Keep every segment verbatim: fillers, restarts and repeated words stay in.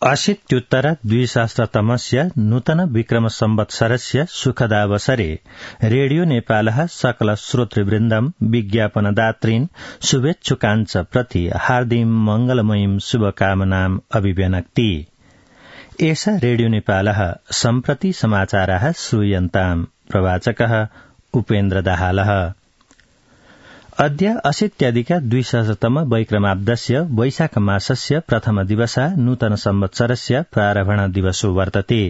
अशीत्युत्तर द्विसहस्रतमस्य नूतन विक्रम संवत्सरस्य सुखदावसरे रेडियो नेपालः सकल श्रोतृवृन्दं विज्ञापनदातॄन् शुभेच्छुकाञ्च प्रति हार्दिक मंगलमयीं शुभकामनाम् अभिव्यनक्ति। एष रेडियो नेपालः सम्प्रति समाचाराः श्रूयन्ताम्। प्रवाचकः उपेन्द्र दाहालः। अद्य अशीत्यधिक द्विसहस्रतम वैक्रमाब्दस्य वैशाख मासस्य प्रथम दिवसः नूतन संवत्सरस्य प्रारम्भण दिवसो वर्तते।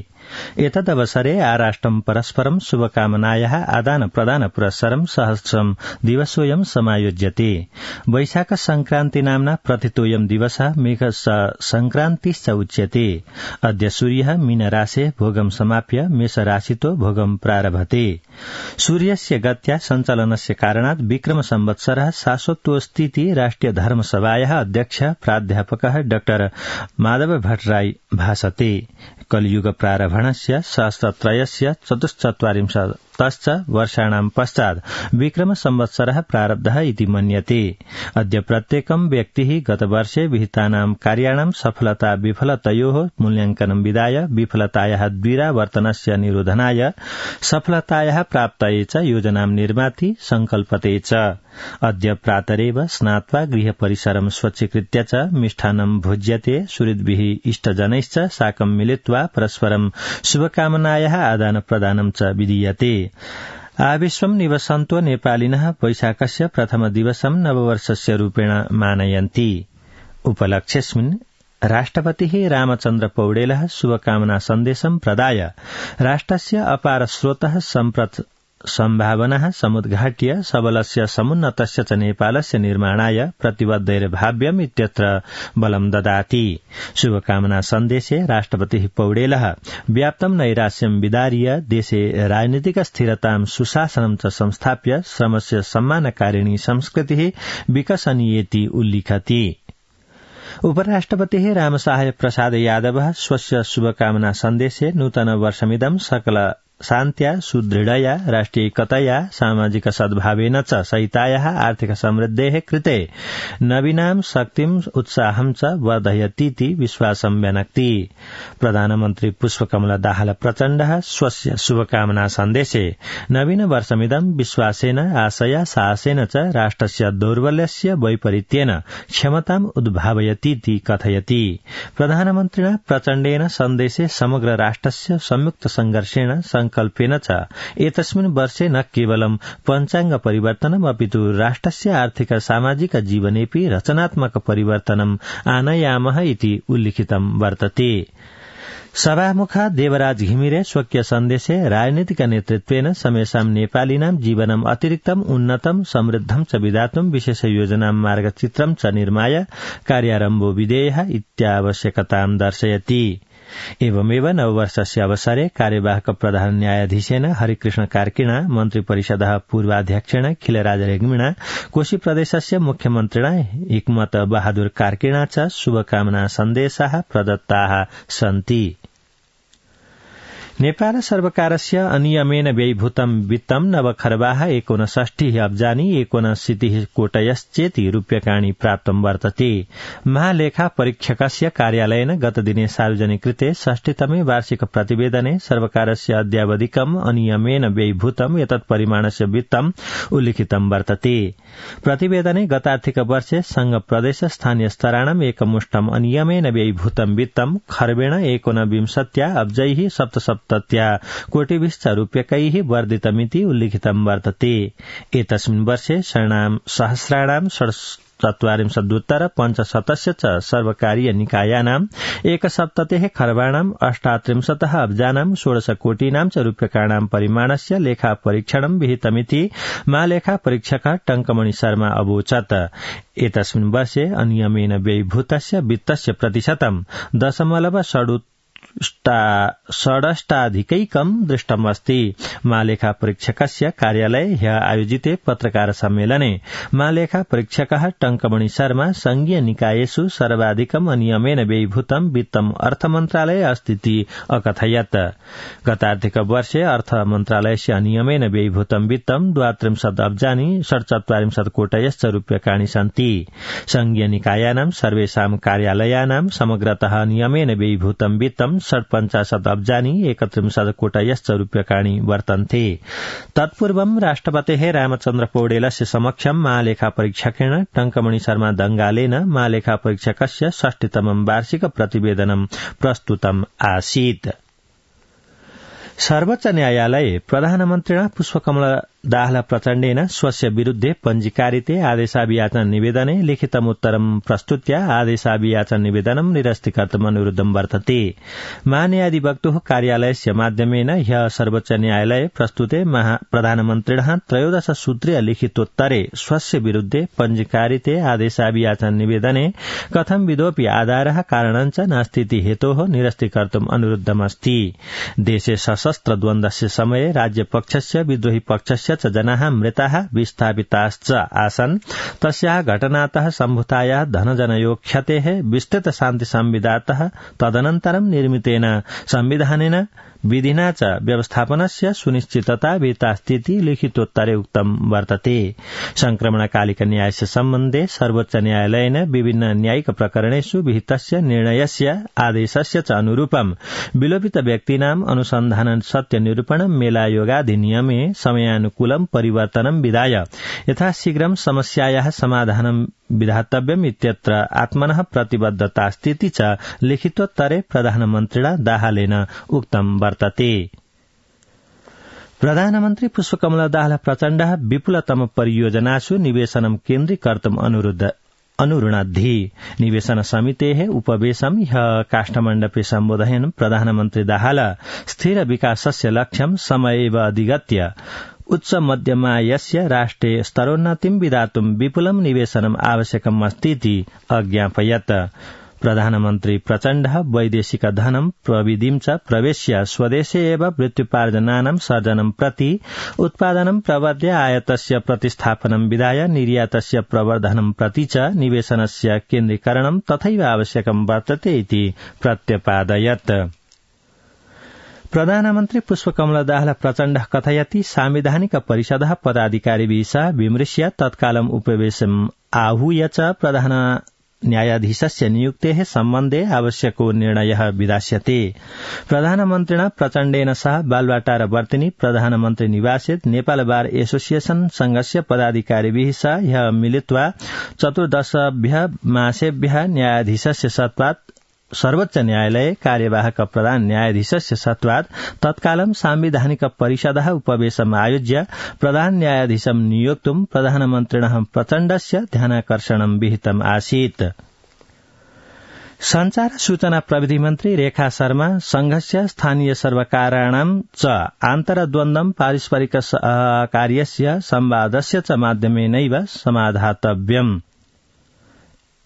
एतदवसरे आराष्ट्रं परस्परं शुभकामनायाः आदान प्रदान पुरस्सरं सहस्रं दिवसोऽयं समायोज्यते। वैशाख संक्रान्ति नाम्ना प्रथितोऽयं दिवसः मेघ संक्रान्तिश्च उच्यते। अद्य सूर्यः मीनराशे भोगं समाप्य मेषराशितो भोगं प्रारभते। सूर्यस्य गत्या सञ्चालनस्य कारणात् विक्रम संवत्सरः शाश्वतोऽस्तीति राष्ट्रिय धर्मसभायाः अध्यक्ष प्राध्यापकः डाक्टर माधव भट्टराई भाषते। कलियुग प्रारम्भणस्य सहस्रत्रयस्य चतुश्चत्वारिंशत्तश्च वर्षाणां पश्चात् विक्रम संवत्सरः प्रारब्धः इति मन्यते। अद्य प्रत्येकं व्यक्तिः गतवर्षे विहितानां कार्याणां सफलता विफलतयोः मूल्यांकनं विधाय विफलतायाः द्विरावर्तनस्य निरोधनाय सफलतायाः प्राप्तये च योजनां निर्माति संकल्पते च। अद्य प्रातरेव स्नात्वा गृहपरिसरं स्वच्छीकृत्य च मिष्टान्नं भोज्यते। सुहृद्भिः इष्टजनैश्च साकं मिलित्वा परस्परं शुभकामनायाः आदानप्रदानं च विधीयते। आविश्वं निवसन्तो नेपालिनः वैशाखस्य प्रथम दिवसं नववर्षस्य रूपेण मानयन्ति। उपलक्ष्येऽस्मिन् राष्ट्रपतिः रामचन्द्र पौडेलः शुभकामना सन्देशं प्रदाय राष्ट्रस्य अपार स्रोतः सम्प्रत सम्भावनाः समुद्घाट्य सबलस्य समुन्नतस्य च नेपालस्य निर्माणाय प्रतिबद्धैर्भाव्यम् इत्यत्र बलं ददाति। शुभकामना सन्देशे राष्ट्रपतिः पौडेलः व्याप्तं नैराश्यं विदार्य देशे राजनीतिक स्थिरतां सुशासनं च संस्थाप्य श्रमस्य सम्मानकारिणी संस्कृतिः विकसनीयेति उल्लिखति। उपराष्ट्रपतिः रामसहाय प्रसाद यादवः स्वस्य शुभकामना सन्देशे नूतन वर्षमिदं सकल शान्त्या सुदृढया राष्ट्रियैकतया सामाजिक सद्भावेन च सहितायाः आर्थिक समृद्धेः कृते नवीनां शक्तिम् उत्साहं च वर्धयतीति विश्वासं व्यनक्ति। प्रधानमन्त्री पुष्पकमल दाहाल प्रचण्डः स्वस्य शुभकामना सन्देशे नवीन वर्षमिदं विश्वासेन आशया साहसेन च राष्ट्रस्य दौर्बल्यस्य वैपरीत्येन क्षमताम् उद्भावयतीति कथयति। प्रधानमन्त्रिणा प्रचण्डेन सन्देशे समग्र राष्ट्रस्य संयुक्त संघर्षेण संकल्पेन च एतस्मिन् वर्षे न केवलं पञ्चाङ्ग परिवर्तनम् अपितु राष्ट्रस्य आर्थिक सामाजिक जीवनेऽपि रचनात्मक परिवर्तनम् आनयामः इति उल्लिखितं वर्तते। सभामुखा देवराज घिमिरे स्वकीय सन्देशे राजनीतिक नेतृत्वेन समेषां नेपालिनां जीवनम् अतिरिक्तम् उन्नतं समृद्धं च विधातुं विशेष योजनां मार्गचित्रं च निर्माय कार्यारम्भो विधेयः इत्यावश्यकतां दर्शयति। एवमेव नववर्षस्य अवसरे कार्यवाहक प्रधान न्यायाधीशेन हरिकृष्ण कार्किणा मन्त्रिपरिषदः पूर्वाध्यक्षेण खिलराज रेग्मिणा कोशी प्रदेशस्य मुख्यमन्त्रिणा हिक्मत बहादुर कार्किणा च शुभकामना सन्देशाः प्रदत्ताः सन्ति। नेपाल सर्वकारस्य अनियमेन व्ययीभूतं वित्तं नवखर्बाः एकोनषष्टिः अब्जानि एकोनशीतिः कोटयश्चेति रूप्यकाणि प्राप्तं वर्तते। महालेखा परीक्षकस्य कार्यालयेन गतदिने सार्वजनिकृते षष्टितमे वार्षिक प्रतिवेदने सर्वकारस्य अद्यावधिकम् अनियमेन व्ययीभूतं एतत् परिमाणस्य वित्तं उल्लिखितं वर्तते। प्रतिवेदने गतार्थिक वर्षे संघ प्रदेश स्थानीय स्तराणाम् एकमुष्टम् अनियमेन व्ययीभूतं वित्तं खर्बेण एकोनविंशत्या अब्जैः सप्तसप्त तत्या कोटिभिश्च रूप्यकैः वर्धितमिति उल्लिखितं वर्तते। एतस्मिन् वर्षे शरणां सहस्राणां चत्वारिंशदुत्तर पञ्चशतस्य च सर्वकारीय निकायानाम् एकसप्ततेः खर्बाणाम् अष्टात्रिंशतः अब्जानां षोडश कोटीनां च रूप्यकाणां परिमाणस्य लेखा परीक्षणं विहितमिति महालेखा परीक्षकः टंकमणि शर्मा अवोचत्। एतस्मिन् वर्षे अनियमेन व्ययीभूतस्य वित्तस्य प्रतिशतं दशमलव षडु षडष्टाधिकैकं दृष्टमस्ति। महालेखा परीक्षकस्य कार्यालये ह्य आयोजिते पत्रकार सम्मेलने महालेखा परीक्षकः टंकमणि शर्मा संघीय निकायेषु सर्वाधिकम् अनियमेन व्ययीभूतं वित्तम् अर्थमन्त्रालये अस्तीति अकथयत्। गतार्थिक वर्षे अर्थमन्त्रालयस्य अनियमेन व्ययीभूतं वित्तं द्वात्रिंशत् अब्जानि षट्चत्वारिंशत् कोटयश्च रूप्यकाणि सन्ति। संघीय निकायानां सर्वेषां कार्यालयानां समग्रतः नियमेन व्ययीभूतं वित्तं षट्पञ्चाशत् अब्जानि एकत्रिंशत् कोटयश्च रूप्यकाणि वर्तन्ते। तत्पूर्वं राष्ट्रपतेः रामचन्द्र पौडेलस्य समक्षं महालेखा परीक्षकेण टंकमणि शर्मा दंगालेन महालेखा परीक्षकस्य षष्टितमं वार्षिक प्रतिवेदनं प्रस्तुतम् आसीत्। सर्वोच्च न्यायालये प्रधानमन्त्रिणा पुष्पकमल दाहाल प्रचण्डेन स्वस्य विरुद्धे पञ्जीकारिते आदेशाभियाचन निवेदने लिखितमुत्तरं प्रस्तुत्य आदेशाभियाचन निवेदनं निरस्तीकर्तुम् अनुरुद्धं वर्तते। महान्यायाधिवक्तुः कार्यालयस्य माध्यमेन ह्यः सर्वोच्च न्यायालये प्रस्तुते प्रधानमन्त्रिणः त्रयोदश सूत्रीय लिखितोत्तरे स्वस्य विरुद्धे पञ्जीकारिते आदेशाभियाचन निवेदने कथंविधोऽपि आधारः कारणं च नास्तीति हेतोः निरस्तीकर्तुम् अनुरुद्धमस्ति। देशे सशस्त्र द्वन्द्वस्य समये राज्यपक्षस्य विद्रोही पक्षस्य च जनाः मृताः विस्थापिताश्च आसन्। तस्याः घटनातः सम्भूतायाः धनजनयो क्षतेः विस्तृत शान्ति संविधातः तदनन्तरं निर्मितेन संविधानेन विधिना च व्यवस्थापनस्य सुनिश्चितता विहितास्तीति लिखितोत्तरे उक्तं वर्तते। संक्रमणकालिक न्यायस्य सम्बन्धे सर्वोच्च न्यायालयेन विभिन्न न्यायिक प्रकरणेषु विहितस्य निर्णयस्य आदेशस्य च अनुरूपं विलोपित व्यक्तीनाम् अनुसन्धान सत्य निरूपणं मेलायोगाधिनियमे समयानुकूलं परिवर्तनं विधाय यथाशीघ्रं समस्यायाः समाधानं विधातव्यम् इत्यत्र आत्मनः प्रतिबद्धतास्तीति च लिखितोत्तरे प्रधानमन्त्रिणा दाहालेन उक्तं वर्तते। प्रधानमन्त्री पुष्पकमल दाहाल प्रचण्डः विपुलतम परियोजनासु निवेशनं केन्द्रीकर्तुम् अनुरुद्ध अनुरुणद्धि। निवेशन समितेः उपवेशं ह्यः काष्ठमण्डपे सम्बोधयन् प्रधानमन्त्री दाहाल स्थिर विकासस्य लक्ष्यं समयेव अधिगत्य उच्च मध्यमायस्य राष्ट्रे स्तरोन्नतिं विधातुं विपुलं निवेशनम् आवश्यकम् अस्तीति अज्ञापयत्। प्रधानमन्त्री प्रचण्डः वैदेशिक धनं प्रविधिं च प्रवेश्य स्वदेशे एव वृत्त्युपार्जनानां सर्जनं प्रति उत्पादनं प्रवर्ध्य आयातस्य प्रतिस्थापनं विधाय निर्यातस्य प्रवर्धनं प्रति च निवेशनस्य केन्द्रीकरणं तथैव आवश्यकं वर्तते इति प्रत्यपादयत्। प्रधानमन्त्री पुष्पकमल दाहाल प्रचण्डः कथयति सांविधानिक परिषदः पदाधिकारिभिः सह विमृश्य तत्कालम् उपवेशम् आहूय च प्रधान न्यायाधीशस्य नियुक्तेः सम्बन्धे आवश्यको निर्णयः विधास्यते। प्रधानमन्त्रिणा प्रचण्डेन सह बालुवाटारवर्तिनि प्रधानमन्त्री निवासे नेपाल बार एसोसिएशन संघस्य पदाधिकारिभिः सह ह्यः मिलित्वा चतुर्दशभ्यः मासेभ्यः न्यायाधीशस्य सत्त्वात् सर्वोच्च न्यायालये कार्यवाहक प्रधान न्यायाधीशस्य सत्त्वात् तत्कालं सांविधानिक परिषदः उपवेशम् आयोज्य प्रधान न्यायाधीशं नियोक्तुं प्रधानमन्त्रिणः प्रचण्डस्य ध्यानाकर्षणं विहितम् आसीत्। संचार सूचना प्रविधि मन्त्री रेखा शर्मा संघस्य स्थानीय सर्वकाराणां च आन्तरद्वन्द्वं पारस्परिक कार्यस्य संवादस्य च माध्यमेनैव समाधातव्यम्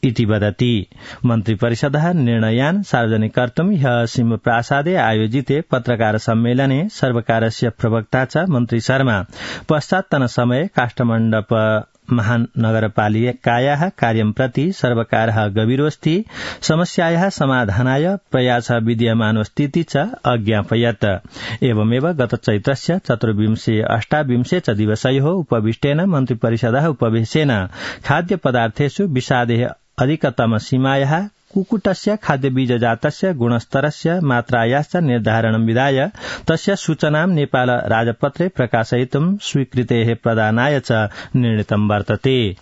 इति वदति। मन्त्रिपरिषदः निर्णयान् सार्वजनिकर्तुं ह्यः सिंहप्रासादे आयोजिते पत्रकार सम्मेलने सर्वकारस्य प्रवक्ता च मन्त्री शर्मा पश्चात्तनसमये काष्ठमण्डप महानगरपालिकायाः कार्यं प्रति सर्वकारः गभीरोऽस्ति, समस्यायाः समाधानाय प्रयासः विद्यमानोऽस्तीति च अज्ञापयत्। एवमेव गत चैत्रस्य चतुर्विंशे अष्टाविंशे च दिवसयोः उपविष्टेन मन्त्रिपरिषदः उपवेशेन खाद्यपदार्थेषु विषादेः अधिकतम सीमायाः कुक्कुटस्य खाद्यबीजजातस्य गुणस्तरस्य मात्रायाश्च निर्धारणं विधाय तस्य सूचनां नेपाल राजपत्रे प्रकाशयितुं स्वीकृतेः प्रदानाय च निर्णीतं वर्तते।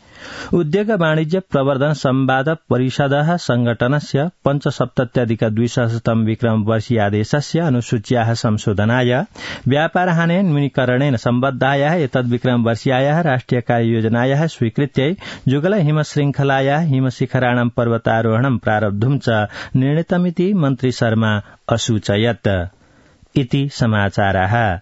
उद्योग वाणिज्य प्रवर्धन संवाद परिषदः संघटनस्य पञ्चसप्तत्यधिक द्विसहस्रतम विक्रम वर्षीयादेशस्य अनुसूच्याः संशोधनाय व्यापारहाने न्यूनीकरणेन सम्बद्धायाः एतद्विक्रम वर्षीयायाः राष्ट्रिय कार्ययोजनायाः स्वीकृत्यै जुगल हिमशृङ्खलायाः हिमशिखराणां पर्वतारोहणं प्रारब्धुं च निर्णीतमिति मन्त्री शर्मा असूचयत्। इति समाचाराः।